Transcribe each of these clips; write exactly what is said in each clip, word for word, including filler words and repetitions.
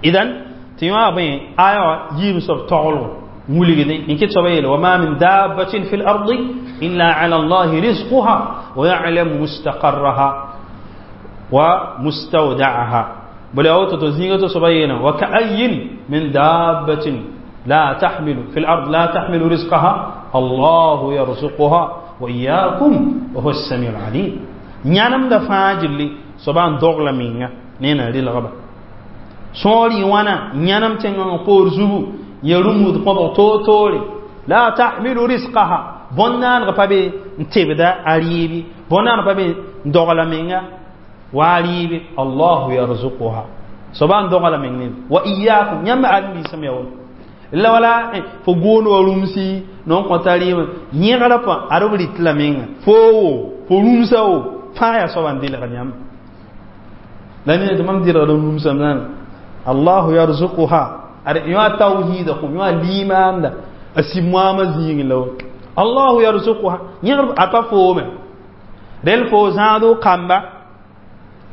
Idan tɩ yõ bõe aya wã yiib soab taglgo wilgdẽ n kɩt soaba yeele وما من دابة في الأرض إلا على الله رزقها ويعلم مستقرها ومستودعها. بل أوتو تزيغة soaba yeele وكأي من دابة لا تحمل في الأرض لا تحمل رزقها الله يرزقها وإياكم وهو السميع العليم. Yãnemda fãa gilli soaba n dogla menga ne na rɩlgba sõor yɩ wãna yãnem tẽngã poor zugu ya rũmud kõbg toor-toore لا تحمل رزقها bõn-naaneg pa be n tebda a rɩɩbe bõn-naaneg pa be n dogla menga wa a rɩɩbe الله يرزقها soaba n dogla meng ne وإياكم yãmb ãdem-biisã me ya woto la wala fo goon wa rũmsi non kõta rɩɩm yẽgrã pã ad b rɩt la menga fo wo fo rũmsa wo fãa yaa soaba n dɩlgd yãmb la ne tɩ mam dɩlgd n rũmsame الله يرزقها ad yõ tawhiida kõ yõ limaanda a sib-moamã zĩigẽ la الله يرزقها yẽgr a pa foome rel fo zãado kamba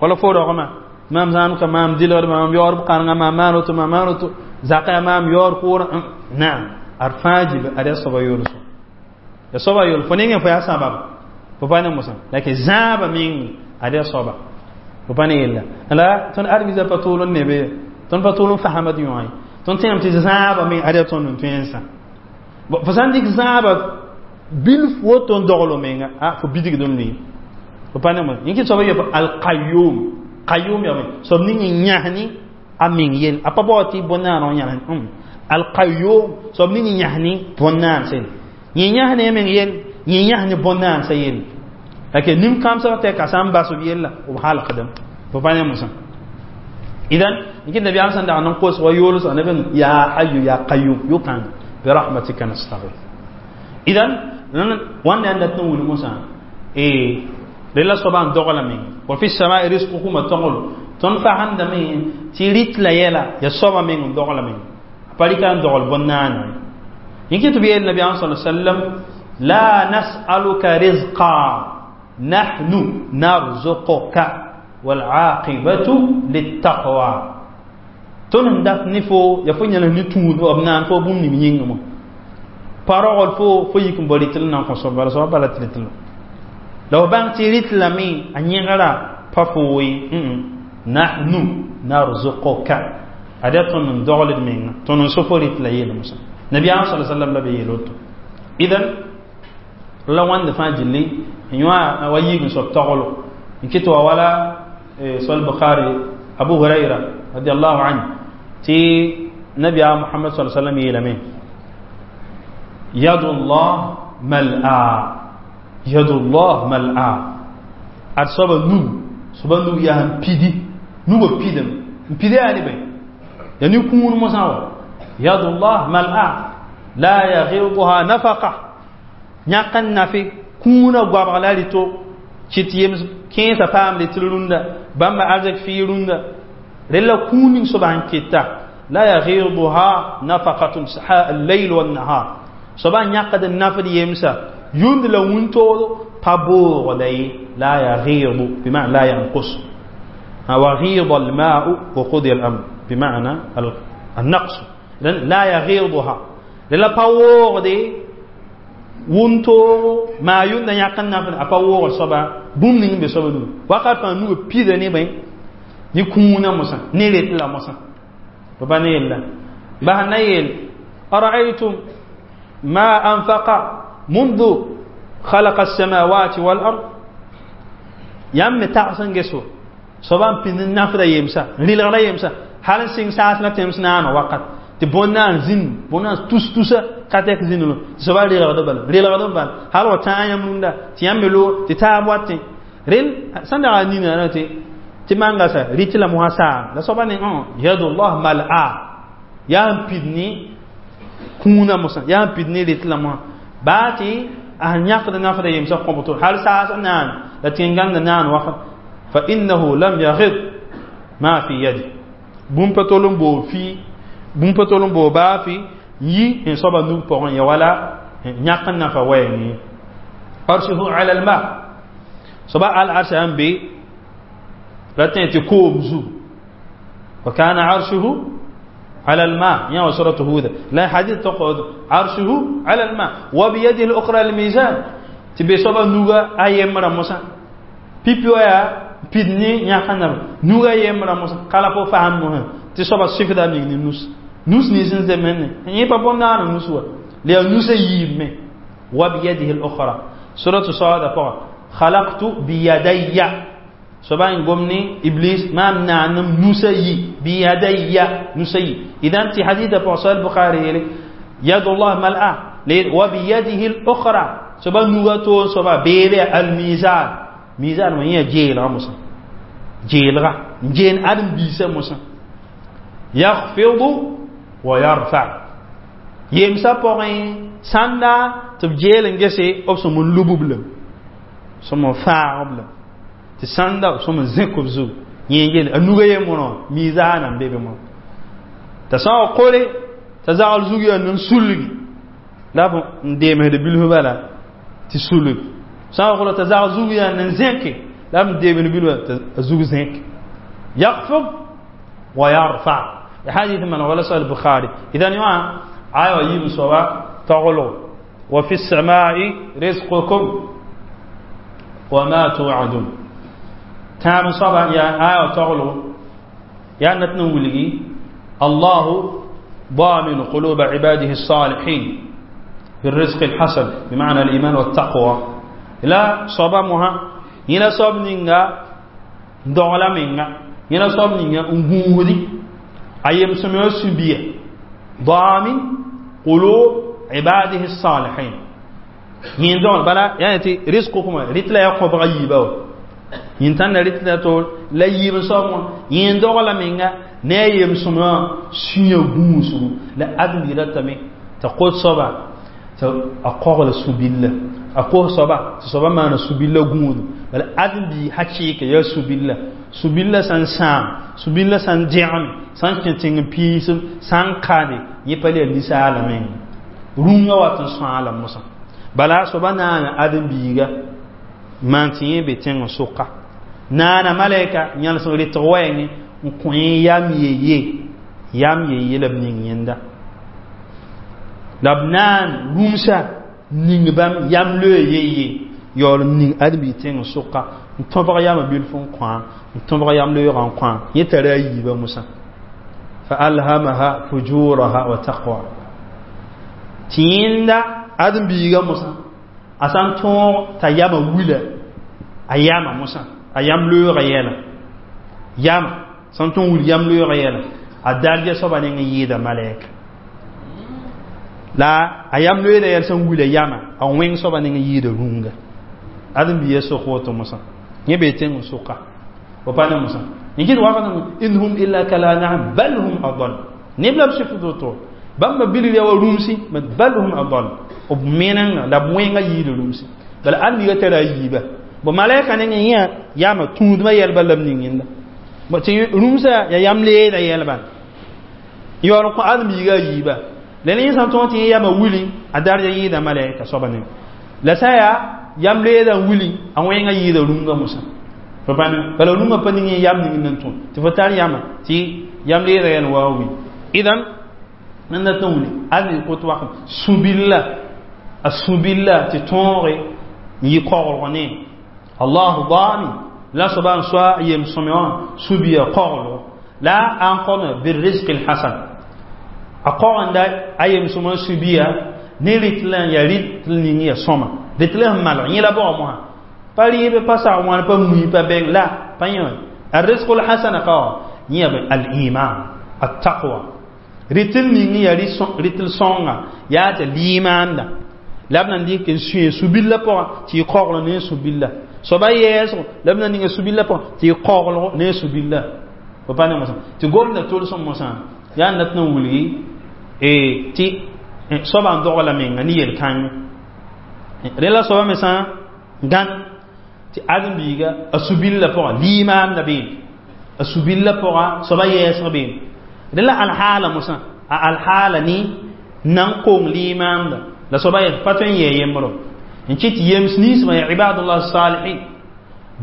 wala fo rogmã maam zãad ka maam dɩlgd maam yaood b kãrenga maam maan woto maam maan woto zaka yaa maam yaood kʋʋrã naam ad fãa gil ad yaa soaba yoolsem ya soaba yool fo nengẽ fo yaa sabab fo pa ne mosã la ke zãaba meng ad yaa soaba fo pa ne yella la tõnd ãdem-biisã pa tʋʋl n nebe tõnd pa tʋʋl n fasamd yõ ye tõnd tẽem tɩ zãaba me ad yaa tõnd n tõensã fo sã n dɩk zãaba bilf woto n dogl menga a fo bidigd n lʋɩ fo pa ne mos yẽ kɩ soaba yep القيوم قيوم yaa soab ning n yãsni a meng yell a pa bao tɩ bõn-naaneg n yãs القيوم soab ning n yãsni bõn-naansã yell yẽ yãsne a meng yell yẽ yãsni bõn-naansã yell lake nin-kãmsg tɛka sã n bas b yella b halgdem fo pa ne mosã idan n kɩt nabiyaam sẽn dag n kos wa yoolsg neb يا حي يا قيوم yʋkãng برحمتك نستغيث. Idan wãnda yaa dat n wilg mosã rela soaba n dogla meng وفي السماء رزقكم toglo tõnd fasemdame tɩ rɩt la yɛla ya soaba meng n dogla meng a pa rɩka n dogl bõn-naana yẽ kɩ tɩ b yeel nabiyaam sa sallam لا نسألك رزقا نحن نرزقك والعاقبة للتقوى tõnd sẽn dat ne fo ya fo yãnes ne tũud b naan fo bũmb ning yĩngã mo pa rogl fo fo yik n bao rɩtl n na n kõ soab bala soaba bala tɩ rɩtl la f bãng tɩ rɩtlame a yẽgra pa foo ye نحن نرزقك ad yaa tõnd n dogld menga tõnd n so fo rɩtla yeel mosã nabiyaam sa sallam la be yeel woto idan la wãnd fãa gilli n yõ wa yiig n soab toglo n kɩt wa wala sol bukhari Abu Huraira رضي الله عنه tɩ nabiyaam Muhammad صلى الله عليه وسلم yeelame يد الله ملأى يد الله ملأى ad soaba nug soaba nug yaa n pidi nugã pidem n pidi yaa ne bõe ya nin-kũun mosã wa يد الله ملأى لا يغيضها نفقة yãk n nafe kũunã goabg la rɩto kɩt yems kẽesã paam rɩtl rũndã bãmba arzɛk fɩɩ rũndã rella kũun ning soaba sẽn keta لا يغيضها نفقة الليل والنهار soaba yãkd n nafd yemsa yũnd la wũntoodo pa boogda ye لا يغيض بمعنى لا ينقص وغيض الماء وقضي الأمر بمعنى النقص لا يغيضها la pa woogde wʋntoogo maa yũnda yãk n nafd a pa woogd soaba bũmb ning n be soaba nugu wakat fãa nugã pida ne bõe ne kũunã mosã ne ret la mosã fo pa ne yella bas na yeel أرأيتم ما أنفق منذ خلق السماوات والأرض yãmb me tags n ges soaba n pĩnd n nafda yemsa n rɩlgda yemsa hal n sɩng saas la tẽms naana wakat tɩ bõn-naan zĩnd bõn-naan tus-tusa ka tɛk zĩnd tɩ soaba relgd bala relgd bala hal wa tãa yãmb rũndã tɩ yãmb me loog tɩ taab watẽ rel sẽn dag a nina tɩ tɩ manga sa rɩt la mosã saam la soaba ne يد الله ملأى yaa n pid ne kũunã mosã yaa n pid ne rɩt la mosã baa tɩ a sẽn yãkd nafda yemsã kõbto hal saas naan la tẽn-gãngda naan wakat فإنه لم يغض ما في يده bũmb pa tol n boo fii bũmb pa tol n boo baa fɩ yi n soaba nug pʋgẽ ya wala yãk n nafa wɛɛngẽ عرشه على الماء soaba al-arsha n be ra tẽ tɩ koom zu وكان عرشه على الماء يا سورة هود لا حديث تقول عرشه على الماء وبيده الأخرى الميزان تبي صبا نوغا أيمرا موسى بيبيو يا بيدني يا خنر نوغا يمرا موسى قال فو فهم مه تصبا سيفدا مين نوس نوس نيسن زمن ني بابا نار نوسوا لي نوس ييمه وبيده الأخرى سورة صاد خلقت بيدي سبعين قمني إبليس ما منعنم نسي بيدي نسي إذا أنت حديث فصل البخاري يد الله ملأ وبيده الأخرى سبع نغتو سبع بيد الميزان ميزان ما هي جيل موسى جيل جين أدم بيسا موسى يخفض ويرفع يمسا بوغين ساندا تبجيل نجسي أبسم اللبوبلم سمو فاعبلم tɩ sãnda b sõm n zẽk b zug yẽ yel a nuga ye mono mizaana n be be mono t'a sã wa kore t'a zagl zug yaa nan sulgi la b n deemsd bilf bala tɩ sulg sã wa kore t'a zagl zug yaa nan zẽke la b n deemsd bilf t'a zug zẽk yakfid wa yarfa hadith man wala sahih bukhari idan yã aya wa yiib soaba taglg wa fi السماء رزقكم وما توعدون تام صبا يا آية تغلو يا نتنولي الله ضامن قلوب عباده الصالحين بالرزق الحسن بمعنى الإيمان والتقوى لا صبا مها ينا صب نينغا دولا مينغا ينا صب نينغا نغودي أيام سميو سبيا ضامن قلوب عباده الصالحين yin don bala yani ti rizqukum ritla ya ko bagyiba yin tan ritla to la yib so mo yin dogla menga ne yem suma sunya guusu la admi ratame ta qul soba ta aqogla subilla aqu soba soba mana subilla guudu bala admi hakika ya subilla subilla san sam subilla san jam san kintin pisum san kade yipale lisala men runga watan sala musa bala soba naana ãdem-biiga maan tɩ yẽ be tẽng sʋka naana malɛka yãlsg rɩtg wɛɛngẽ n kõ yẽ yam yeye yam yeye la b ning yẽnda la b naan rũmsa ning bãmb yam loe yeye yaool n ning ãdem-biig tẽng sʋka n tõbg yamã bilf n kõa n tõbg yam loeegã n kõa yẽ tara a yiibã mosã fa alhamaha fujuraha wa taqwa tɩ yẽnda ãdem-biiga mosã a sã n tõog t'a yama wila a yama mosã a yam loeegã yɛla yama sã n tõog wil yam loeegã yɛla a darja soaba neng n yɩɩda malɛka la a yam loeeda yɛl sẽn wila yama a wẽng soaba neng n yɩɩda rũnga ãdem-biiga sok woto mosã yẽ bee tẽng n sʋka fo pa ne mosã yẽ kɩt wakat in hum illa kal an'am bal hum adal neb la b sɩfd woto bãmba bilg yaa wa rũmsi bal hum adal b menenga la b wẽnga yiida rũmsi bala ãdem-biiga tara a yiiba bo malɛka neng yẽ yama tũudmã yɛlba la b ning yẽnda tɩ rũmsã ya yam leeda yɛlba yaool n kõ ãdem-biiga a yiiba la ne yẽ sã n tõog tɩ yẽ yama wili a darja yɩɩda malɛka soaba neng la sã yaa yam leeda n wili a wẽnga yɩɩda rũngã mosã fo pa bala rũngã pa ning yẽ yam ning nan tõe tɩ fo tar yama tɩ yam leeda yɛl wa wi idan nan na tõe wili ãdem kot wakat sũ-billa a sũ-billa tɩ tõoge n yɩ koglg ne allahu dami la soaba n soa yem sõme wã sũ-biya koglgo la a n kome birrizq lhasan a kogenda a yem sõma sũ-biya ne rɩtl n ya rɩtl ning ya sõma rɩtl sẽn malg yẽ la baoog mosã pa rɩɩb pa sag wãn pa mui pa bɛng la pa yẽ الرزق الحسن ka yẽ al-iman التقوى rɩtl ning ya rɩtl sõnga yaa tɩ liimaanda la b na n dɩk n sũe su-billa pʋgã tɩ y kogl ne su-billa soaba yɛɛsgo la b na ninga su-billa pʋgã tɩ y koglgo ne su-billa fo pa ne mosã tɩ gomda tolsem mosã yaa n dat n wilgi tɩ soaba n dogla menga ne yel-kãng rẽ la soaba me sã n gãn tɩ ãdem-biiga a su-billa pʋgã liimaanda beene a su-billa pʋgã soaba yɛɛsg beene rẽ la alhaala mosã a alhaala ne nan kong liimaanda la soaba pa tõe n yɛɛ yembro n kɩt yems ninsbã ya ibadullah salihin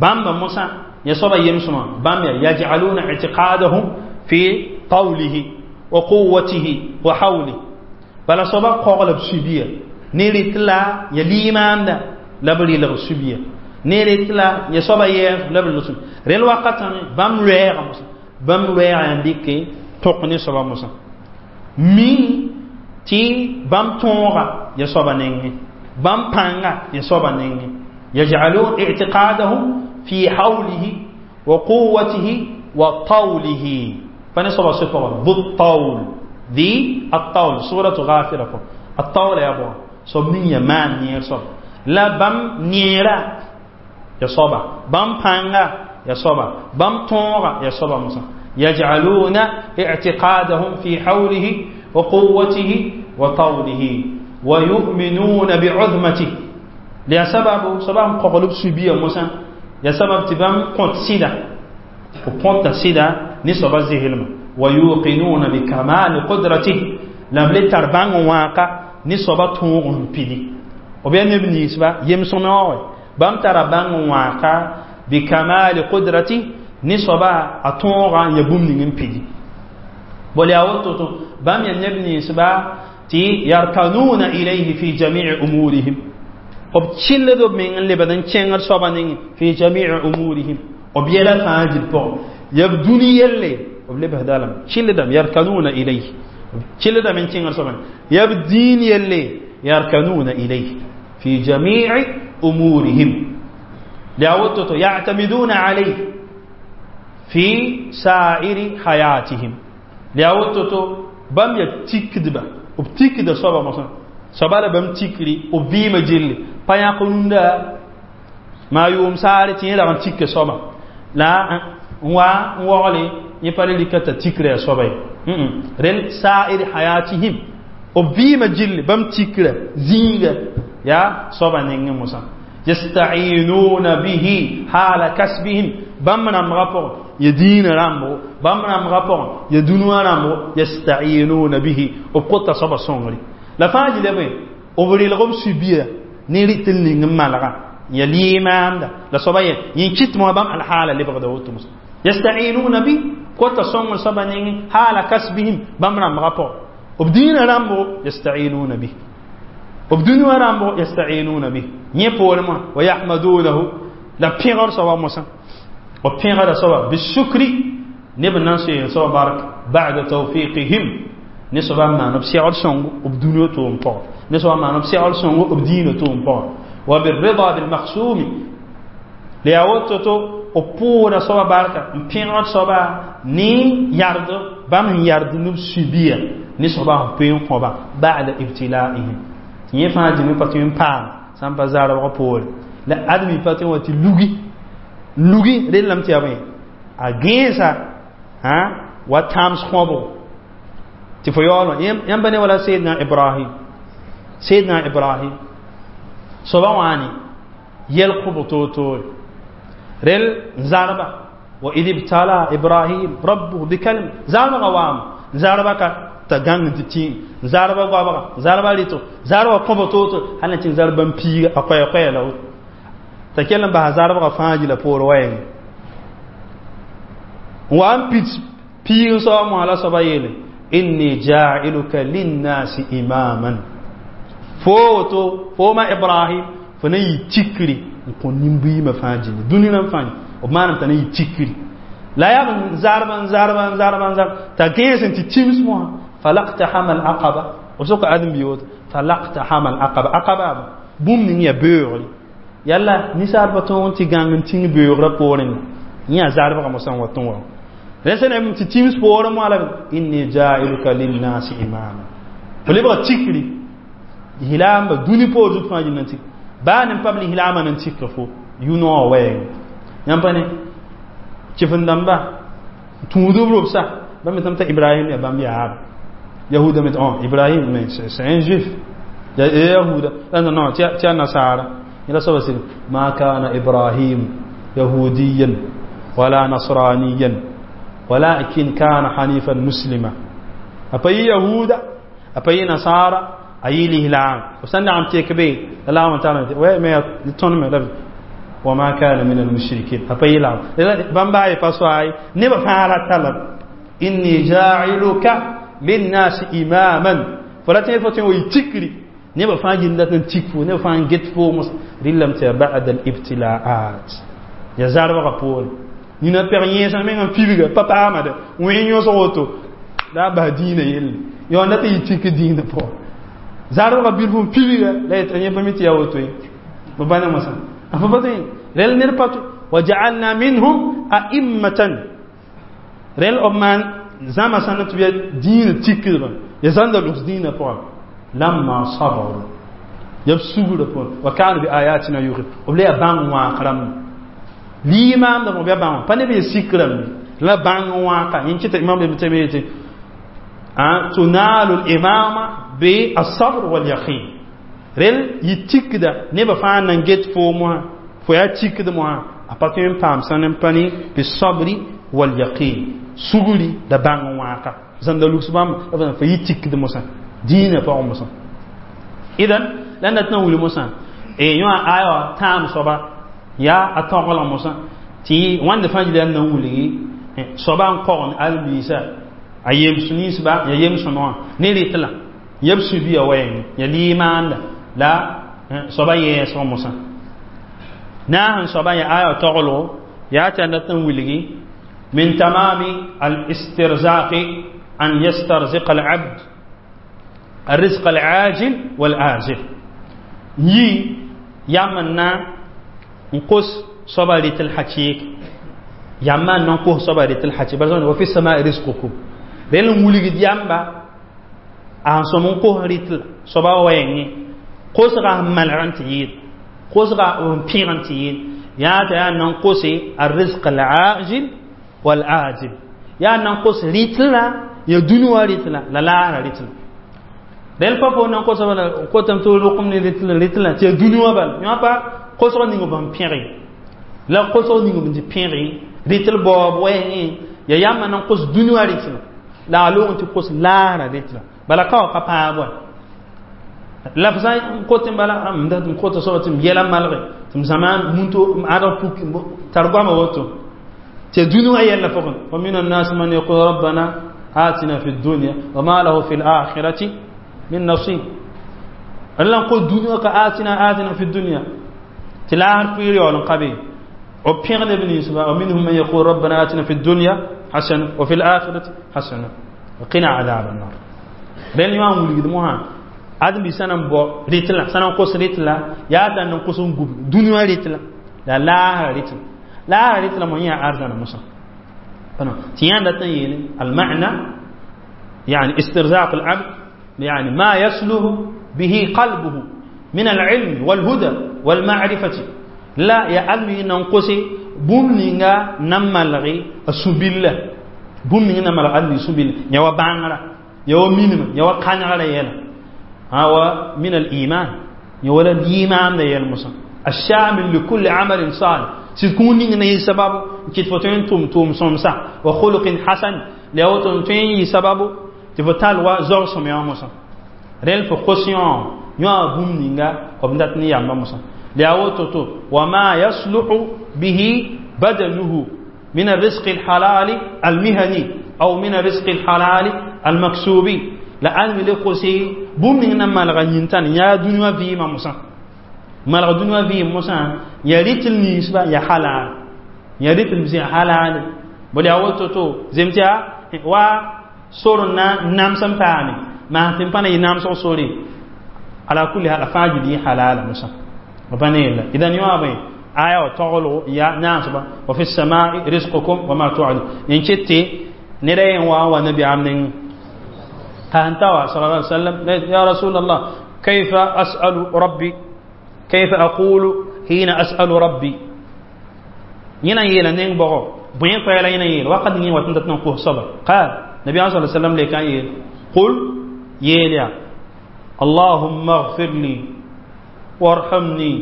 bãmba mosã ya soaba yemsmã bãmb ya yaj'aluna i'tiqadahum fi qawlihi Wa quwwatihi wa hawli bala soaba kogl b sũbia ne rɩt la ya limaanda la b rɩlg sũbia ne rɩt la ya soaba yɛɛs la b rɩlg sũbia rel wakatã bãmb loɛɛga mosã bãmb loɛɛga n dɩke tõk ne soaba mosã mi tɩ bãmb tõoga ya soaba nengẽ bãmb pãnga ya soaba nengẽ يجعلون اعتقادهم في حوله وقوته وطوله فنسأل صفة ذو الطول ذي الطول سورة غافرة الطول يا أبو صب نية ما نير صب لا بام نيرا يا صبا بام بانغا يا صبا بام طونغا يا صبا موسى يجعلون اعتقادهم في حوله وقوته وطوله ويؤمنون بعظمته لسبب سبب قلوب سبيا موسى يا سبب تبام قنت سيدا وقنت سيدا نسبة زهلما ويوقنون بكمال قدرته لم لتربان واقع نسبة تون بيدي وبين نبني سبا يمسون بام تربان واقع بكمال قدرته نسبة أتون يبوم نين بيدي بولي أوتو بام ينبني سبا تي يركنون إليه في جميع أمورهم b chilled b meng n lebd n kẽngd soaba nengẽ fi jami'i umurihim b yɛla fãa dil pʋgẽ ya b dũni yelle b lebsda lame chilldame yarkanuna ilayhi b chilldame n kẽngd soaba ya b diin yelle yarkanuna ilayhi fi jami'i umurihim la woto to ya'tamiduna alayhi fi sa'iri hayatihim la woto to bãmb ya tikdba b tikda soaba mosã soaba la bãmb tikri b vɩɩmã gilli pa yãk rũndã maa yʋʋm saare tɩ yẽ rag n tik soaba la n wa n waogle yẽ pa le rɩka t'a tikra ya soaba ye rel sa'ir hayatihim b vɩɩmã gilli bãmb tikra zĩiga yaa soaba nengẽ mosã yasta'inuna bihi hala kasbihim bãmb rãmbga pʋgẽ ya diinã rãmbgo bãmb rãmbga pʋgẽ ya dũniyã rãmbgo yasta'inuna bihi b kota soaba sõngre la fãa gilã bõe b relg b sũbia ne rɩt n ning n malga ya limaamda la soaba yẽ yẽ kɩt mosã bãmb alhaala lebgda woto mosã yasta'inuna bi kota sõngr soaba nengẽ haala kasbihim bãmb rãmbga pʋgẽ b diinã rãmbgo yasta'inuna bi b dũniyã rãmbgo yasta'inuna bi yẽ poorẽ mosã wa yahmadunahu la pẽgr soaba mosã b pẽgda soaba bisukri neb n na n soeeg soaba bark ba'da tawfiqihim ne soaba n maan b segd sõngo b dũniyã tʋʋm pʋgẽ ne soaba maan b segd sõngo b diinã tʋʋm pʋgẽ wa birrida bilmakhsumi la yaa woto to b pʋʋda soaba barka n pẽgd soaba ne yard bãmb sẽn yard ne b sũbia ne soaba sẽn poe n kõba ba'da ibtilaihim tɩ yẽ fãa dĩmẽ pa tõe n paam sã n pa zarbg poore la admi pa tõe n wa tɩ lugi lugi rellame tɩ yaa bõe a gẽesa wa tãams kõbgo tɩ fo yaool yãmb ne wala Seydina Ibrahim Seydina Ibrahim soaba wãane yɛl kõbg toor-toore rel zarba wa id ibtala Ibrahim rabbuhu bikalima zarbga waame zarba ka t'a gãng tɩ tĩ zarba goabga zarba rɩtgo zarba kõbg toor-toore hal na tɩ zarba n piiga a koɛɛ-koɛɛ la woto t'a kell n basa zarbga fãa gila poor wɛɛngẽ n wa n pid piig n soaba moasã la soaba yeele inni ja'iluka linnasi imaman fo woto fo ma Ibrahim fo na yɩ tikri n kõ nin-buiimã fãa gilli dũni rãmb fãa b maanam t'a na yɩ tikri la yaa b zarba n zarba n zarba n zarba t'a gẽes n tɩ tims mosã falaqtahama al-aqaba b soka ãdem-bi woto falaqtahama al-aqaba aqaba bũmb ning yaa beoogre yalla ninsaalbã tõog n tɩ gãng n tĩng beoogrã poorẽ yẽ yaa zarbgã mosã n wa tõ wa rẽ sẽn tɩ tims poorẽ moa la inni ja'iluka linnasi imama fo lebga tikri lislaamba dũni poor zut fãa gil n tik baa ne pam lislaamã n tik fo yũ-noogã wɛɛngẽ yãmb pa ne kɩf-n-dãmba tũud b robsa bãmb me t'a Ibrahim yaa bãmb yaaba Yahuda me oh Ibrahim mais c'est un juif ya Yahuda non non ti ya nasara ila soaba sɩd ma kana Ibrahim yahudiyan wala nasraniyan ولكن كان حنيفا مسلما أبي يهودا أبي نصارى أي الإسلام وسنة عم تكبي الله تعالى وما يتون وما كان من المشركين أبي لا بامباي فاسواي نبا فعل طلب إني جاعلك للناس إماما. فلا تنفوتين ويتكري نبا فان جندة تكفو نبا فان جت فو مس ريلم بعد الابتلاءات. يا زارب غبول نينا بيرين سان مين فيبغا بابا أحمد وين يوسوتو لا با دين يل يو نتا يتك دين بو زارب غبير فو فيبغا لا يتني بميتي يا وتوي بابانا مسا أفبتين ريل نرباتو وجعلنا منهم أئمة. ريل أمان زما سنة بيا دين تكرا يزند لوس دين بو لما صبروا يبسوغ بو وكانوا بآياتنا يوقن وبلا بان واقرم ليمام ده بيا بان باني بي سكرم لا بان واقا ينكت إمام ابن تيمية تنال الإمامة بالصبر واليقين. ريل يتكدا نبا فان نجت فو مو فيا تكدا مو أبطين بام سنن باني بالصبر واليقين سغولي دا بان واقا زند لوكس بام في يتكدا موسى دين فا موسى. إذن لأن تنولي موسى إيه يوا آية تام صبا يا أتوغل موسى تي وان دفاج لأن نولي صبا قرن البيسا أيام سنيس با يا يم سنوا نيريتلا يبسو بيا وين يا ليمان لا صبا يسوع موسى ناهن صبا يا آية تغلو يا تنتن ولغي من تمام الاسترزاق أن يسترزق العبد الرزق العاجل والآجل. يي يامنا نقص صبا لتلحكيك ياما نقص صبا لتلحكي برزون وفي السماء رزقكم لأن ولغي يامبا أن سمون قه ريتل صبا ويني قصغا ملعن تيد قصغا بيغن تيد يا تا ننقص الرزق العاجل والآجل. يا ننقص ريتلا يا دنيا ريتلا لا لا ريتلا دل بابو ننقص ولا قوتم تو رقم ريتلا ريتلا تي دنيا بال يا با قصغا نيغو بام بيغي لا قصغا نيغو بام بيغي ريتل بوب ويني يا ياما ننقص دنيا ريتلا لا لو انت قص لا ريتلا بلا كاو كابا لا فساي كوتم بلا ام ده كوت صوتم يلا مالغ تم زمان مونتو ادم فوك ترغما وتو تدنوا يلا فوق. ومن الناس من يقول ربنا آتنا في الدنيا وما له في الآخرة من نصيب. الله نقول دنيا آتنا آتنا في الدنيا تلاهر في ريال قبي وبيغ ابن يوسف. ومنهم من يقول ربنا آتنا في الدنيا حسنة وفي الآخرة حسنة وقنا عذاب النار. بين يوم ولد موها آدم بسنة بو ريتلا سنة قص ريتلا يا تان قص غوب دنيا ريتلا لا لا ريتلا لا ريتلا ما هي أرزنا موسى فنا تيان دتين المعنى يعني استرزاق العبد يعني ما يسله به قلبه من العلم والهدى والمعرفة. لا يا ألمي ننقصي بومنينغا نمالغي السبيل بومنينغا نمالغي السبيل يا بانغرا يا مينم يا كانغرا يلا هو من الإيمان يولا الإيمان ده يلمسا الشامل لكل عمل صالح سيكون نين سبب كيف توم توم سمسا وخلق حسن لأوتون تين سبب تفتال وزور سميا مسا ريل فقسيون يا بوم نينغا وبندات نيا مسا لأوتو وما يصلح به بدنه من الرزق الحلال المهني أو من الرزق الحلال المكسوب. لأن لقصي بوم نينغا مالغا يا دنيا في ما مسا مالغا دنيا في مسا يا ريت النسبة يا حلال يا ريت المسيح حلال بل أوتو زمتيا و سورنا نام سمتاني ما تنفنا ينام سوري على كل حال أفاجد دي حلال مسا وبنيلا إذا يوابي آية تقولوا يا ناس وفي السماء رزقكم وما توعدون ينشتي نرين واو نبي عمن كانتوا صلى الله عليه وسلم يا رسول الله كيف أسأل ربي كيف أقول حين أسأل ربي ينا يلا نين بغو بين فعلا ينا يلا وقد نين وتنتت نقوه صبر قال نبي صلى الله عليه وسلم لكان يل قل يلا اللهم اغفر لي وارحمني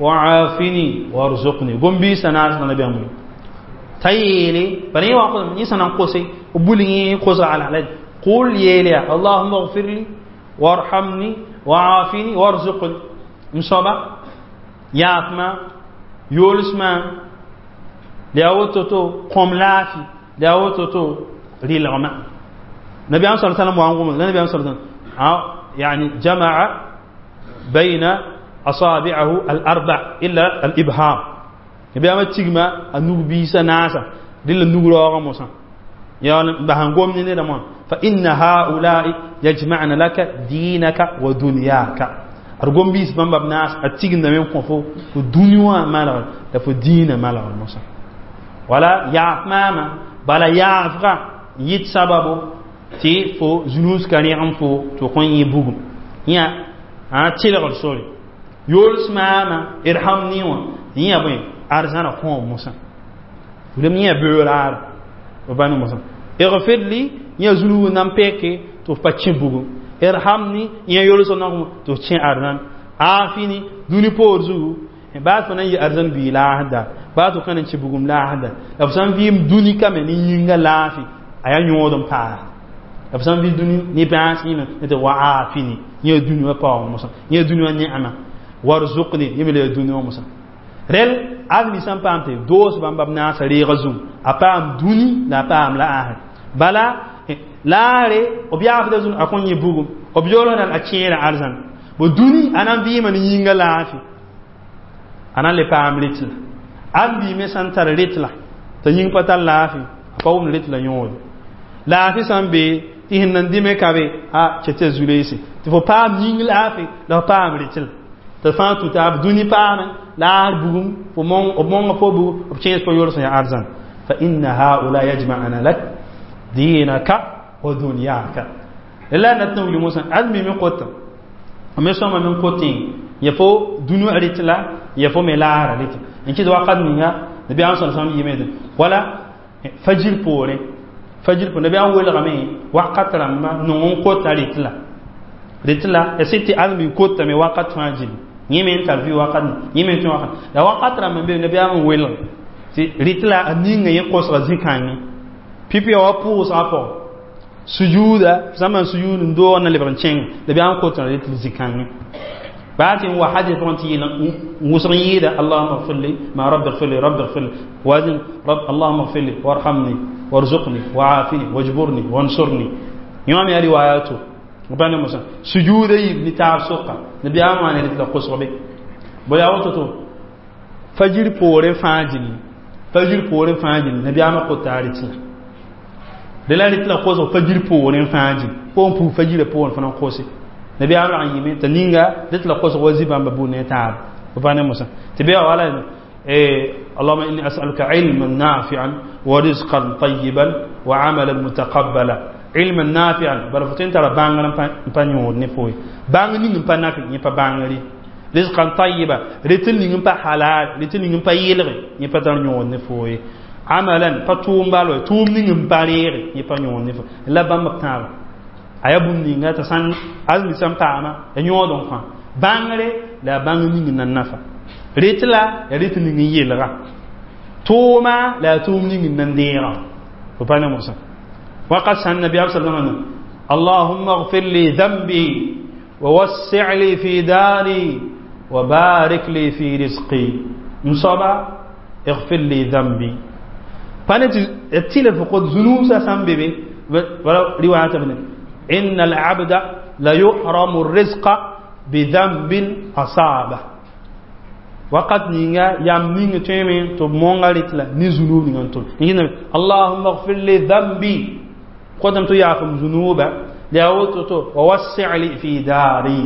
وعافني وارزقني قم بي سنة نبي أمري تايلي بني وقل ني سنة قوسي وبولي قوس على على قل يلا اللهم اغفر لي وارحمني وعافني وارزقني مصابة ياتما يولسما لأوتوتو قم لافي لأوتوتو ريلغما Nabi sallallahu alaihi wasallam wa Nabi sallallahu alaihi wasallam يعني جمع بين أصابعه الأربع إلا الإبهام. نبي أما تيجما النوب بيسا ناسا دل النوب راغا موسى يعني بهنقوم نينا فإن هؤلاء يجمعن لك دينك ودنياك. أرجوم بيس بام بناس أتيجن دمين كفو الدنيا مالا لفو دين مالا موسى ولا يعف ماما بلا يعف يت سببه tɩ fo zunus ka rẽgem fo tɩ f kõn yẽ bugum yã a tɩlgr sore yols maama irhamni wã yẽ bõe arzãna kõom mosã lem yẽ beoraara b bãn mosã اغفر لي yẽ zunub nan peke tɩ f pa kẽ bugum irhamni yẽ yols nagm tɩ f kẽ arzãn afini dũni poor zugu baa fo nan yɩ arzãn bii laasda baa tɩ f ka nan kẽ bugum laasda la f sã n vɩɩm dũni kame ne yĩnga laafɩ a yaa yõod n paas la f sã n vɩ dũni ne bãas yẽme tɩ wa afini yẽ dũni wã paoong mosã yẽ dũni wã ne'ama warzuqni yẽ me la yaa dũni wã mosã rel admi sã n paam tɩ doos bãmba b naasa reegã zũng a paam dũni la a paam la asr bala laare b yaafda zũng a kõn yẽ bugum b yoolsda a kẽera arzãn bo dũni a na n vɩɩma ne yĩnga laafɩ a na n le paam rɩtla ãn me sã n tar rɩtla t'a yĩng pa tar laafɩ a pa wʋmd rɩtla yõode laafɩ sã n be tɩ sẽn nan dɩme ka be a kɛ tɩ a zu-reese tɩ fo paam yĩng laafɩ la fo paam rɩtla tɩ fãa tũ taab dũni paame laar bugum fo b monga fo bugum b kẽes fo yols ya arzãn fa inna haula yajma'ana lak dinaka wa dunyaka la nat n wilg mosã ad mi me kota me sõma me kotẽ ya fo dũni rɩtla ya fo me laara rɩtla n kɩt wakat ninga nabiyaam sa sallam yɩme wala fajir poorẽ fajir poorẽ nabiyaam welgame wakat rãmba nong n kota rɩtla rɩtla ya sɩd tɩ ãdem kotame wakat fãa gil yẽ me n tar vɩ wakat yẽ me n tõe wakat la wakat rãmb n be nabiyaam n welg tɩ rɩtla a ninga yẽ kosga zĩ-kãngẽ pipi ya wa pʋʋsgã pʋgẽ sujuuda sã n maan sujuud n doog na lebg n kẽng nabiyaam kotã rɩtl zĩ-kãngẽ baa tɩ n wa hadis pʋgẽ tɩ yɩl n wʋsg n yɩɩda allahuma اغfir li ma rabbi اغfir li rabbi اغfir li wazin rab allahuma اغfir li warhamni warzuqni waafini wajburni wansurni yõ me ya riwayato bãn mosã sujuuda yib ne taab sʋka nabiyaam wã ne rɩtla kosg be bo yaa woto to fajir poorẽ fãa gilli fajir poorẽ fãa gilli nabiyaamã kota rɩtla de la rɩtla kosg fajir poorẽ fãa gil fo n pug fajirã poorẽ fõ na n kose nabiyaam rag n yɩme t'a ninga rɩtla kosg wa zĩ-bãmba bũmb ne taab bãn mosã tɩ be wala اللهم إني أسألك علما نافعا ورزقا طيبا وعملا متقبلا علما نافعا بل فتن ترى بانغ pa yõod ne foye bãng ning n pa nafi yẽ pa bãngri rizqan tayyiba rɩtl ning n pa halal rɩtl ning n pa yɩlge yẽ pa tar yõod ne foye amalan pa tʋʋm bal wa tʋʋm ning n pa reege yẽ pa yõod ne foye la bãmb b tãaba a yaa bũmb ninga t'a sãn azmi sẽn paama ya yõod n kõ bãngre la ya bãng ning n na nafa rɩtla ya rɩtl ning n yelga tʋʋma la ya tʋʋm ning n na n deega fo pa ne mosã وقد سأل النبي صلى الله عليه وسلم اللهم اغفر لي ذنبي ووسع لي في داري وبارك لي في رزقي مصابة اغفر لي ذنبي فأنا تيل فقد ذنوب سام بيبي ولا رواية ابن إن العبد لا يحرم الرزق بذنب أصابه وقد نيغا يام نيغا تيمين تو مونغاليت لا ني ذنوب نيغا تو اللهم اغفر لي ذنبي قدم تو يافم ذنوبا لا تو ووسع لي في داري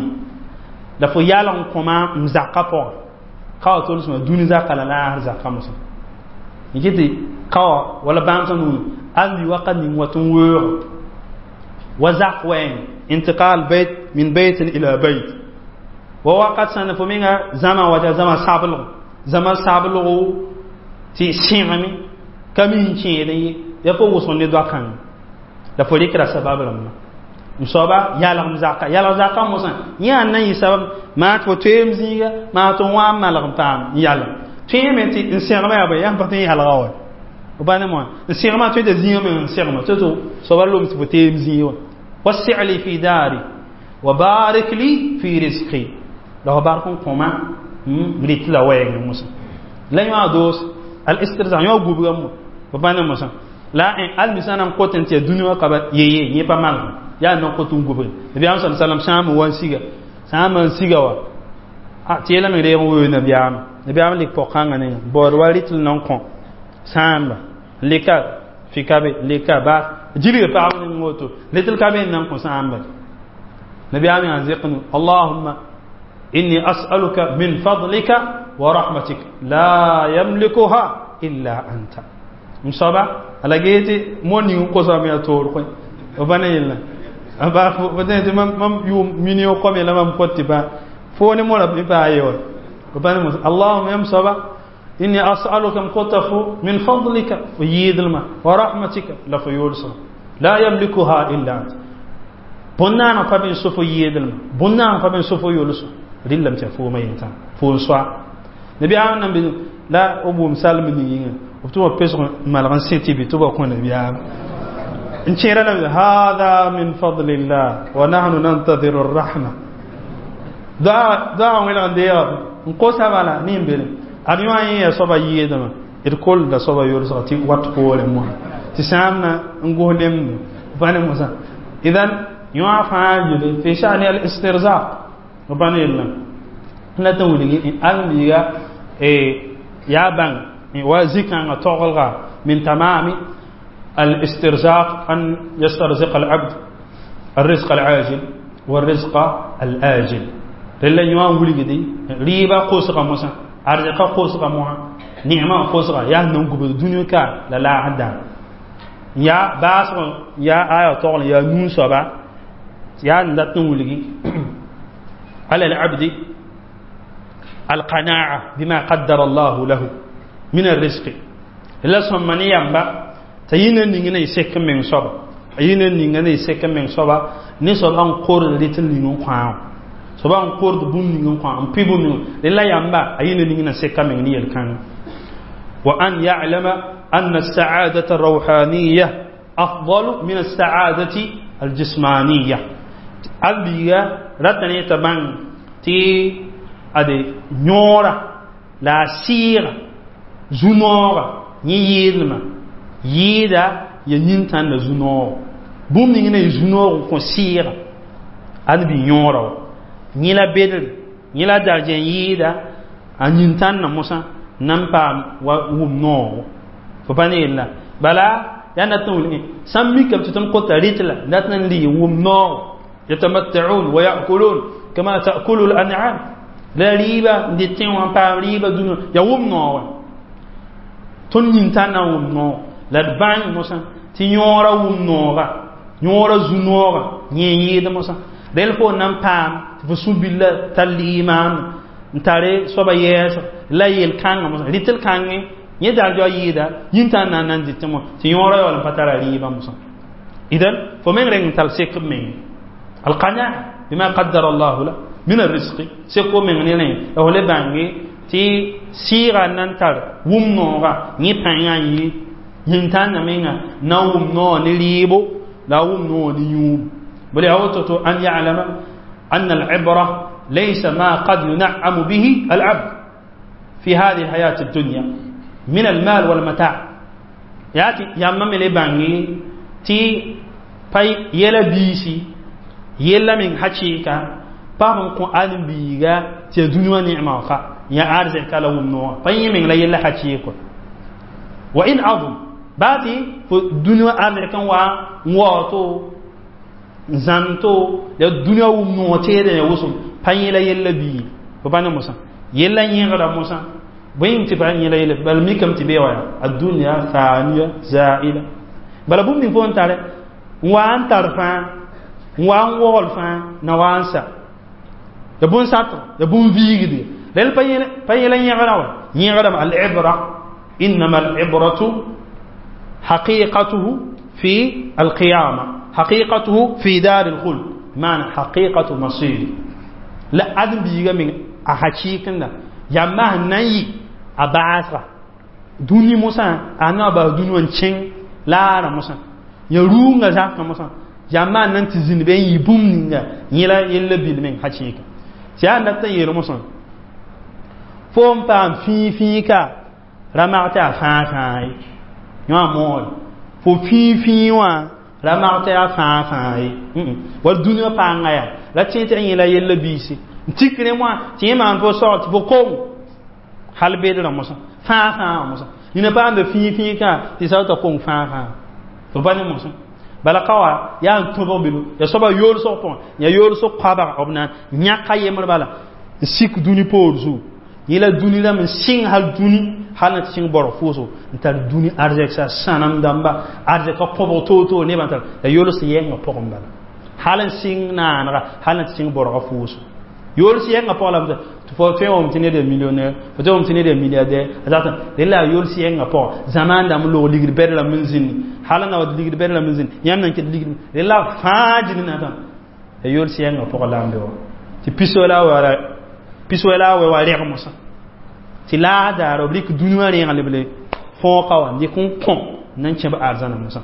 la fo yalg n kõma m zakã pʋgã ka wa tolsmã dũni zaka la laasr zakã mosã n kɩ tɩ ka wa wala bãmb sã nuun ãmbi wakat ning wat n weoog wa zak wɛɛng intiqal bayt min baytin ila bayt wa wakat sãn fo menga zãma wa zãma sablgo zãma sablgo tɩ sẽgame ka mi n kẽed ye ya fo wʋsg ne doa-kãngã la fo rɩkra sabab rãmbã m soaba yalgm zaka yalg zaka mosã yẽ ãn na n yɩ sabab maa tɩ fo toeem zĩiga maa tɩ wã n malg n paam n yalg tõeme tɩ n sẽgmã yaa bõe yaa pa tõe n yalga wa b pa ne moã n sẽgmã tõe t'a zĩigã me n sẽgma tɩ tɩ soaba lom tɩ fo teem zĩig wã وسع لي في داري وبارك لي في رزقي la fo bark n kõma rit la wɛɛngẽ mosã la yõ a doos al istirza yõ gubgã mo b pa ne mosã La al misana n kot n tɩ ya dũni wã ka ba yeye yẽ pa maneg yaa nan kot n gubg nabiyaam sa sallam sãam wa n siga sãam n siga wa tɩ yeelame reeg n weoog nabiyaam nabiyaam lik pɔg-kãngã ne baood wa rɩtl nan kõ sãamba lika fikabe lika baas gilga pagb ning woto rɩtl ka be n nan kõ sãamba nabiyaam yaa zɩk nu allahumma inni as'aluka min fadlika wa rahmatik la yamlikuha illa anta m soaba ala gee tɩ mo ning n kosame ya toor koe b pa ne yella ba tɩ mam yʋʋm million kome la mam kot tɩ pa fo ne mora mi pa ye wa b pa ne mos allahumma yam soaba inni as'aluka m kota fo min fadlika fo yɩɩdlma wa rahmatika la fo yoolsã la yamlikuha illa anta bõn-naanã pa be n so fo yɩɩdlma bõn-naanã pa be n so fo yoolsã rɩllame tɩ yaa foomã yentã fo n soa nabiyaam nan be la b wʋm salm ning yĩnga b tɩ wa pesg malg n sẽ tɩ bɩ tɩ ba kõ nabiyaam n kẽera la hada min fadlillah wa nahnu nantadiru rahma doa wẽlg n deega n kosa bala ne n bele ad yõ yẽ yaa soaba yɩɩdmã d kolda soaba yolsga tɩ wat poorẽ mosã tɩ sãamna n gos lemdo pa ne mosã idan yõ fãa yele fi shani al istirzaq pa ne yella la tɩ wilgi al-biiga yaa bãng wa zikãngã togelga min tamami الاسترزاق أن يسترزق العبد الرزق العاجل والرزق الآجل رلا يوان ولغدي ريبا قوسغا موسى أرزقا قوسغا موها نعمة قوسغا يا نونغ الدنيا كا لا لا هدا يا باس يا آية تغل يا نون سبا يا ندتن ولغي على العبد القناعة بما قدر الله له من الرزق لا سمني يamba t'a yĩna ninga na y sek n meng soaba a yĩna ninga na y sek n meng soaba ne soaba n kord rɩt n ning n kõa soaba n kord bũmb ning n kõa n pɩ bũmb ning rẽ la yamba a yĩna ning na seka meng ne yel-kãngã wa an ya'lama أن السعادة الروحانية أفضل من السعادة الجسمانية البيغا رتني تبان تي أدي نورا لا سيغ زنورا ييلما yɩɩda ya yĩn-tãnda zu-noogo bũmb ning na y zu-noog n kõ sɩɩga ad bɩ yõora wa yẽ la bedre yẽ la darjẽ yɩɩda a yĩn-tãnda mosã na n paam wa wʋm noogo fo pa ne yella bala yaa dat n wilg sãn mikame tɩ tõnd kota rɩtla dat n lɩ wʋm noogo yatamatta'un wa ya'kulun kama ta'kulu al-an'am la rɩɩba n dɩ tẽ wã n paam rɩɩba dũniyã ya wʋm noog tõnd yĩn-tãnda n wʋm noog la d bãng mosã tɩ yõora wʋm nooga yõora zu-nooga yẽ yɩɩd mosã rel fo nan paam tɩ fo sũ-billa tar liimaan n tare soaba yɛɛsg la yel-kãngã mosã rɩtl kãngẽ yẽ darjɔ yɩɩda yĩn-tãn na n nan dɩtẽ mo tɩ yõora yaool n pa tara rɩɩbã mosã idan fo meng reng n tar sek b meng alqanaa bima qaddara allahu la min arrisqi sek fo meng ne rẽ la fo le bãnge tɩ sɩɩga n nan tar wʋm nooga yẽ pãngã n yɩ yĩn-tãnda menga na wʋm noog ne rɩɩbo la wʋm noog ne yũub bal yaa woto to an ya'lama أن العبرة ليس ما قد ينعم به العبد في هذه الحياة الدنيا من المال والمتاع ياتي يا مامي بانgi تي pay yɛla biisi yella meng hakɩɩka paam n kõ ãdem-biiga tɩ ya dũni wã neema wã ka ya arzɛka la wʋm noogã pa yẽ meng la yella hakɩɩk wa in azum baa tɩ fo dũni wã arzɛk n wa n waooto n zãmto ya dũni wã wʋm noog teedẽ ya wʋsem pa yẽ la yella bii fo pa ne mosã yella yẽgda mosã bõe tɩ pa yẽ la yella bala mikame tɩ bee wa yaa addunya faniya zaila bala bũmb ning fo n tare n wa n tar fãa n wa n wogl fãa na wa n sa ya bũn-satg ya bũn-viigde rel pa yẽla yẽgrã wa yẽgdame al-ibra innama al-ibratu حقيقته في القيامة حقيقته في دار الخلد معنى حقيقة مصير لا أدم بيغا من أحقيقنا يا ما ناي أباسرا دوني موسى أنا با دوني وانشين لا را موسى يا رونغا زاك موسى يا ما نانتي زين بين يبوم نينغا يلا يلا بيل من حقيقة تيا نتا يلو موسى fo n paam fĩi fĩi ka ra mag tɩ a fãa fãa ye yõ a moore Fo fĩig fĩig wã ra mak tɩ yaa fãa fãa ye. Wall dũniyã pãnga yaa ra tẽ tɩ yẽla yella biisi n tik rẽ wã tɩ yẽ maan fo sog tɩ fo kong hal bedrã mosã fãa fãa wã mosã nina paamda fĩig fĩig kã tɩ sa t'a kong fãa fãa fo pa ne mosã. Bala ka wa yaa n tõbg bilu ya soaba yoolsg pʋgẽ, ya yoolsg koabga b na n yãk a yembr bala n sik dũni poor zugu. Yẽla dũni rãmb n sɩng hal dũni hal na tɩ sɩng borg fʋʋsgo n tar dũni arzɛksa sãnem dãmba arzɛka kõbg toor-toor nebã tar la yols yɛngã pʋgẽ bala hal n sɩng naanega hal na tɩ sɩng borga fʋʋsgo yols yɛngã pʋgã la tɩ fo tõe wʋm tɩ ned ya millionnaire, fo tõe wʋm tɩ ned ya milliardaire a zat rela a yols yɛngã pʋgã zamaan dãmb log ligd bɛd rãmb n zĩndi hal n na wa ligd bɛd rãmb n zĩnd yãmb nan ket ligd rela fãa gilli na tã ya yols yɛngã pʋgã la n be wa tɩ piso la wa piso la wa wa reg mosã tɩ laas daara b rɩk dũni wã rẽegl b le fõoka wã n dɩk n kõ n na n kẽb arzãna mosã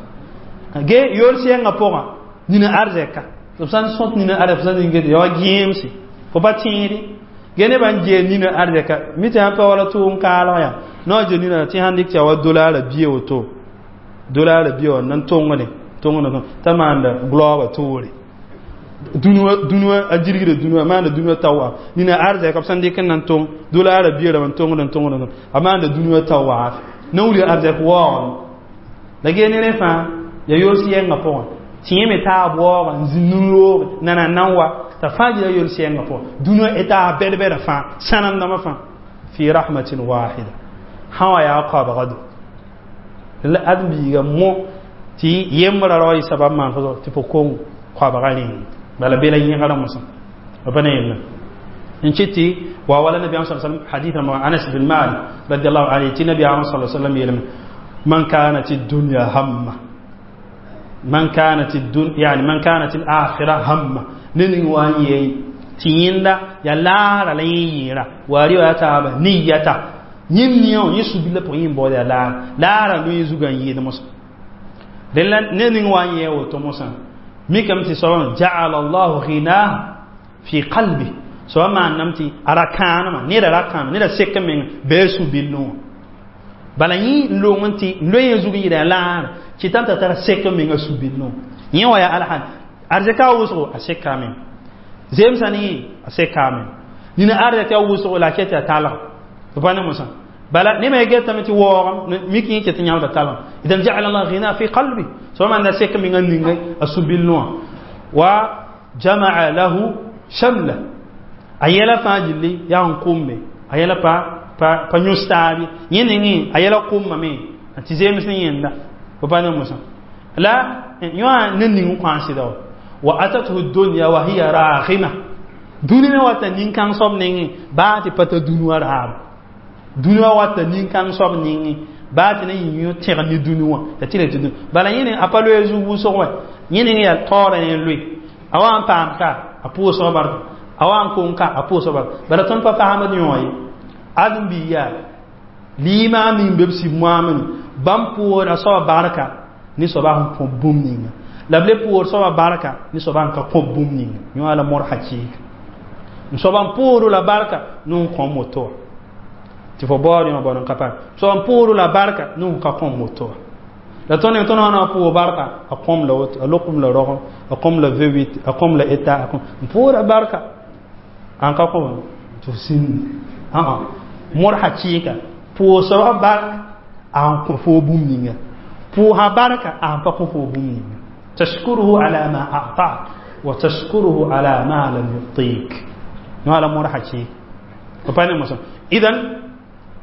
ge yols yɛngã pʋgã nina arzɛka b sã n sõt nina arzɛka sã n get ya wa gẽemse fo pa tẽede ge nebã n gee nina arzɛka mi tɩ sãn pa wala tʋʋm kaalg yaa nao ge nina tɩ sãn dɩk tɩ ya wa dolaara bia woto dolaara bia wã nan tõngre tõngd t'a maanda gloaba toore dũni a girgda dũni wã maanda dũni wã tao wa nina arzɛka b sãn dɩk n nan tõng dolaara bia rãmb n tõngd n tõngd a maanda dũni wã tao waaf na wilg arzɛk waoogame la gee ne rẽ fãa ya yols yɛngã pʋgẽ tɩ yẽ me taab waooga n zĩnd n-rooge nana nan wa t'a fãa gila yols yɛngã pʋgẽ dũni wã etaas bɛd-bɛdã fãa sãnemdãmbã fãa fi rahmatin wahida sã wa yaa koabga do la ãdem-biiga mo tɩ yembra ra wa yɩ sabab maan fo tɩ fo kong koabga rẽng bala bela yẽgra mosã pa ne yella n kɩt tɩ wa wala nabiyaam sa sallam hadith ma Anas bin Malik radiallahu anhu tɩ nabiyaam sa sallam yeelame man kanat dunya hamma man kanat dunya yani man kanat al-akhirah hamma ne ning wa n yee tɩ yẽnda ya laara la yẽ yɩɩra wa rɩ wa taaba niyata yẽnd nia yẽ su-bilã pʋgẽ yẽ baood ya laara laara loe zugã n yɩɩd mosã rẽla ne ning wa n yee woto mosã mikame tɩ soabã ja'ala allahu ghinah fi qalbi soaba maanname tɩ a ra kãanema neda ra kãanema neda sek n meng bɩ su-billẽ wã bala yẽ n loong n tɩ loe yẽ zug n yɩɩda laara kɩtame t'a tara sek n menga su-billẽ wã yẽ wa yaa alhan arzɛka wʋsgo a seka meng zemsa ne yẽ a seka meng nina arzɛka wʋsgo la a ket tɩ a talg tɩ pa ne mosã bala ne me getame tɩ waoogame mik yẽ ket n yãmda talg idan ja'ala allah ghina fi qalbi soaba maanda sek n menga ninga a su-billẽ wã wa jama'a lahu shamla a yɛla fãa gilli yaa n kʋmbe a yɛla pa pa pa yõs taabe yẽ nengẽ a yɛla kʋmbame tɩ zems ne yẽnda fo pa ne mosã la yõa ne ning n kõ sɩda wa wa atathu dunya wa hiya raghima dũni me wata nin-kãng soab nengẽ baa tɩ pa ta dũni wã raab dũni wã wata nin-kãng soab nengẽ baa tɩ na yɩ yõ tẽg ne dũni wã ya tɩ la tɩ bala yẽ a pa loe zug wʋsg wã yẽ neng yaa taoora yẽ loe a wa n paam ka a pʋʋsg barka a wa n kong ka a pʋʋsg barka bala tõnd pa faamd yõ ye ãdem-biig yaa liimã ning be b sib moamene bãmb pʋʋsda soaba barka ne soaba sẽn kõ bũmb ninga la b le pʋʋs soaba barka ne soaba sẽn ka kõ bũmb ninga yõ la mor hakɩɩka n soaba n pʋʋsd la barka ne n kõ moto wã tɩ fo baood yõ bao n ka paam soaba n pʋʋsd la barka ne n ka kõ moto wã la tõnd tõnd wã na pʋʋs barka a kõm la woto a lokum la rogem a kõm la V huit a kõm la eta a kõm n pʋʋsda barka an ka kõm tɩ f sĩndi ã mor hakɩɩka pʋʋsba barka a n kõ foo bũmb ninga pʋʋsã barka a sẽn pa kõ foo bũmb ninga tashkuruhu ala ma a'tak wa tashkuruhu ala ma lam yu'tik yõ la mor hakɩɩka pa ne mosã idan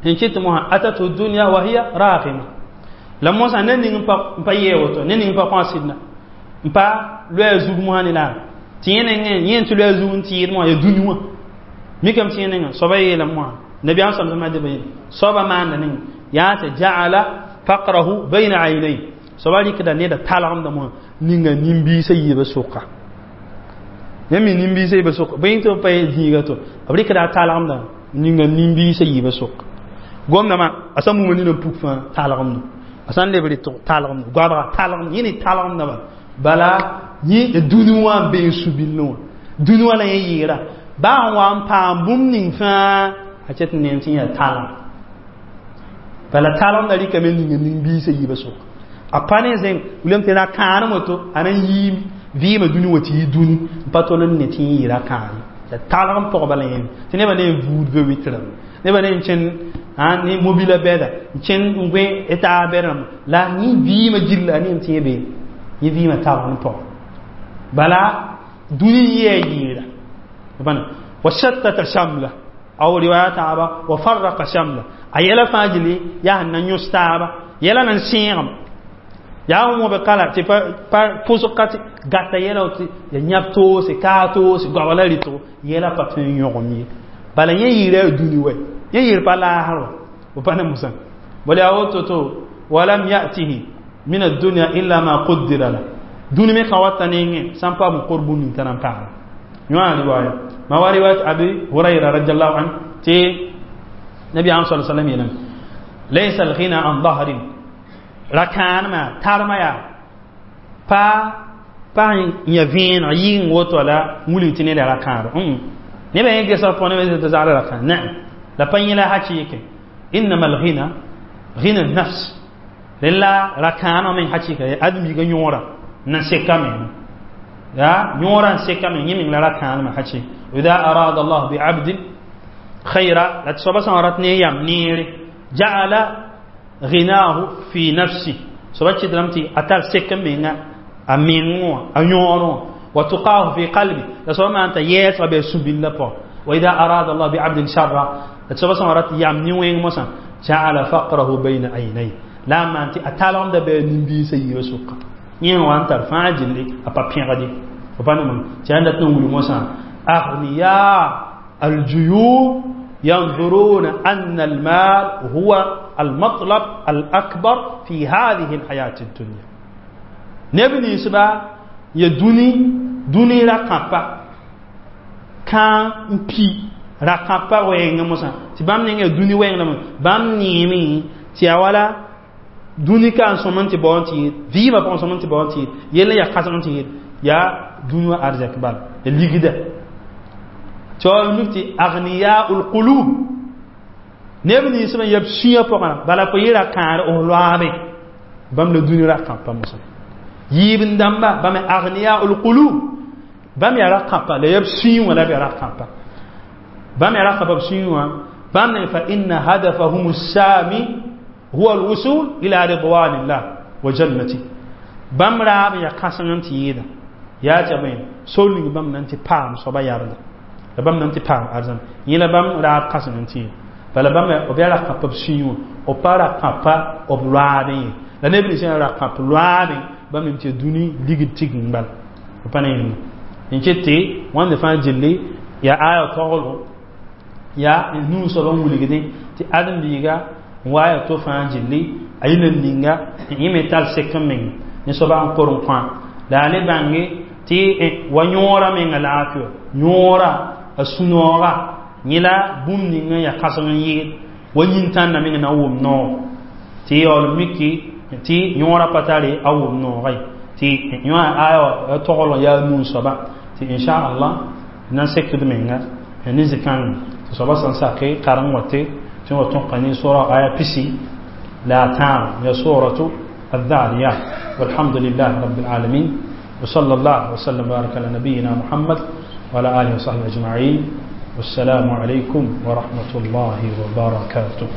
n kɩt mosã atatu dunya wa hiya raghima la mosã ne ning n pa yee woto ne ning n pa kõ a sɩdna n pa loɛ zug mosã ne la tɩ yẽ nengẽ yẽ tɩ loɛ zug n tɩɩd mosã ya dũni wã mikame tɩ yẽ nengã soaba yeelame mosã nabiyaam sam sẽma dɩ yẽl soaba maanda neng yaa tɩ ja'ala faqrahu bayna aynay soaba rɩkda neda talgemda mosã ninga nin-biisã yiibã sʋka yãmb mi nin-biisã yiibã sʋka bõe tɩ b pa zĩiga to b rɩkda a talgemda ninga nin-biisã yiibã sʋka gomdãmã a sã muma nina n puk fãa talgemdo a sã n leb rɩtg talgemdo goabga talgemdo yẽ ne talgemda bala bala yẽ dũni wã n be n su-billẽ wã dũni wã la yẽ yɩɩra baa n wa n paam bũmb ning fãa a ket n neem tɩ yã talem bala talgemda rɩkame ninga nin-biisã yiibã sʋka A pa ne zẽng wilame tɩ ra-kãanem woto a na n yiim vɩɩmã dũni wa tɩ yɩ dũni n pa tol n ne tɩ yẽ yɩ ra-kãar ye talg n pʋg bala yẽnd tɩ nebã ne n vuud be wɩtrame nebã ne n kẽn ne mobila bɛda n kẽn n gõe taab bɛd rãmba la yẽ vɩɩmã gilla a neem tɩ yẽ be yẽ vɩɩmã talg n pʋg bala dũni yɩa yɩɩra wa shattata shamla aw riwaya taaba wa farraqa shamla a yɛla fãa gilli yaa sẽn na n yõs taaba yɛla nan sẽegem yaa wõbe kala tɩ pa pʋsg ka tɩ gata yɛla tɩ ya yãb toose kaa toose goaba la rɩtgo yɛla pa tõe n yõgem ye bala yẽ yɩɩra yaa dũni wɛ yẽ yɩɩr pa laasr wa pa ne mosã bala yaa woto to walam yatihi min addunya illa ma qaddara la dũni me ka wata nengẽ sã n paam n kor bũmb ning t'a na n paama yõa riwaya ma wa riwayat abi hurayra radiallahu an tɩ nabi am sa sallam yeelame laysa alghina an dahrin rakãanema tarma yaa pa pa yã vẽeneg yɩng woto la wilg tɩ ned yaa rakãadɔ nebã yẽ gesg pʋgẽ nebã tɩ zagla rakãad naam la pa yẽ la hakɩɩke innama alghina ghina nafs rẽn la rakãanã meng hakɩɩka ãdem-biigã yõora n na sekame ya yõora n sekame yẽ meng la rakãanema hakɩ ida arada allah biabdin khayra la tɩ soaba sã n rat ne yam neere ja'ala ghinahu fi nafsi soaba kɩtdame tɩ a tar sek n menga a meng wã a yõor wã wa tuqahu fi qalbi la soaba maan t'a yɛɛsga bɩ a sũ-billa pʋgã wa ida arada allah biabdin sharra la tɩ soaba sã n rat yam ne-wẽng mosã ja'ala faqrahu bayna aynay la a maan tɩ a talgemda bɩ a nin-biisã yiibã sʋka yẽ wa n tar fãa gilli a pa pẽgd ye pa ne tɩ yaa dat n wilg mosã aghniya aljuyub ينظرون أن المال هو المطلب الأكبر في هذه الحياة الدنيا نبني سبا يدوني دوني رقابة كان بي رقابة وين مسا تبام نيجي دوني وين لما بام نيمي تياوالا دوني كان سومن تبون تي فيما بون سومن تبون تي يلا يا خاصن تي يا دوني أرزاق بال اللي tɩ mik tɩ agniyaul qulub neb nins sẽn yab sũyã pʋgã bala fo yɩ ra-kãar f loaame bãmb la dũni ra-kãpa mosã yiib n dãmba bãmb agniyaul qulub bãmb yaa ra-kãpa la yab sũyẽ wã la b yaa ra-kãpa bãmb yaa ra-kãpa b sũyẽ wã bãmb ne fa inna hadafahum sami huwa alwusul ila ridwanillah wa jannati bãmb raab n yaa kãseng n tɩ yɩɩda yaa tɩ bõe sor ning bãmb na n tɩ paam soaba yarda la bãmb na n tɩ paam arzãn yẽ la bãmb raab kãseng n tɩ yɩ bala bãmb b yaa ra-kãpa b sũyẽ wã b pa ra-kãpa b loaadẽ ye la neb nins yaa ra-kãp loaadẽ bãmb nem tɩ dũni ligd tigeng bala b pa ne yẽnga n ket tɩ wãnde fãa gilli yaa aya taoolgo yaa nuu soab n wilgdẽ tɩ ãdem-biiga n wa ya to fãa gilli a yɩl n ninga n yẽ me tar sek n meng ne soaba n kor n kõ la a le bãnge tɩ wa yõora menga laafɩ wa yõora a sũ-nooga yẽ la bũmb ning n yaa kãseng n yɩɩd wa yĩn-tãnda meng na n wʋm noog tɩ yaool miki tɩ yõora pa tare a wʋm nooga ye tɩ yõ aya wa toglg yaa nuu soaba tɩ inchallah na n sekd menga ne zĩ-kãngã tɩ soaba sẽn sake kareng wa tɩ tɩ wa tõka ne sora aya pisi la a tãab ya suratu الذاريات والحمد لله رب العالمين وصلى الله وسلم وبارك على نبينا محمد وعلى آله وصحبه أجمعين والسلام عليكم ورحمة الله وبركاته.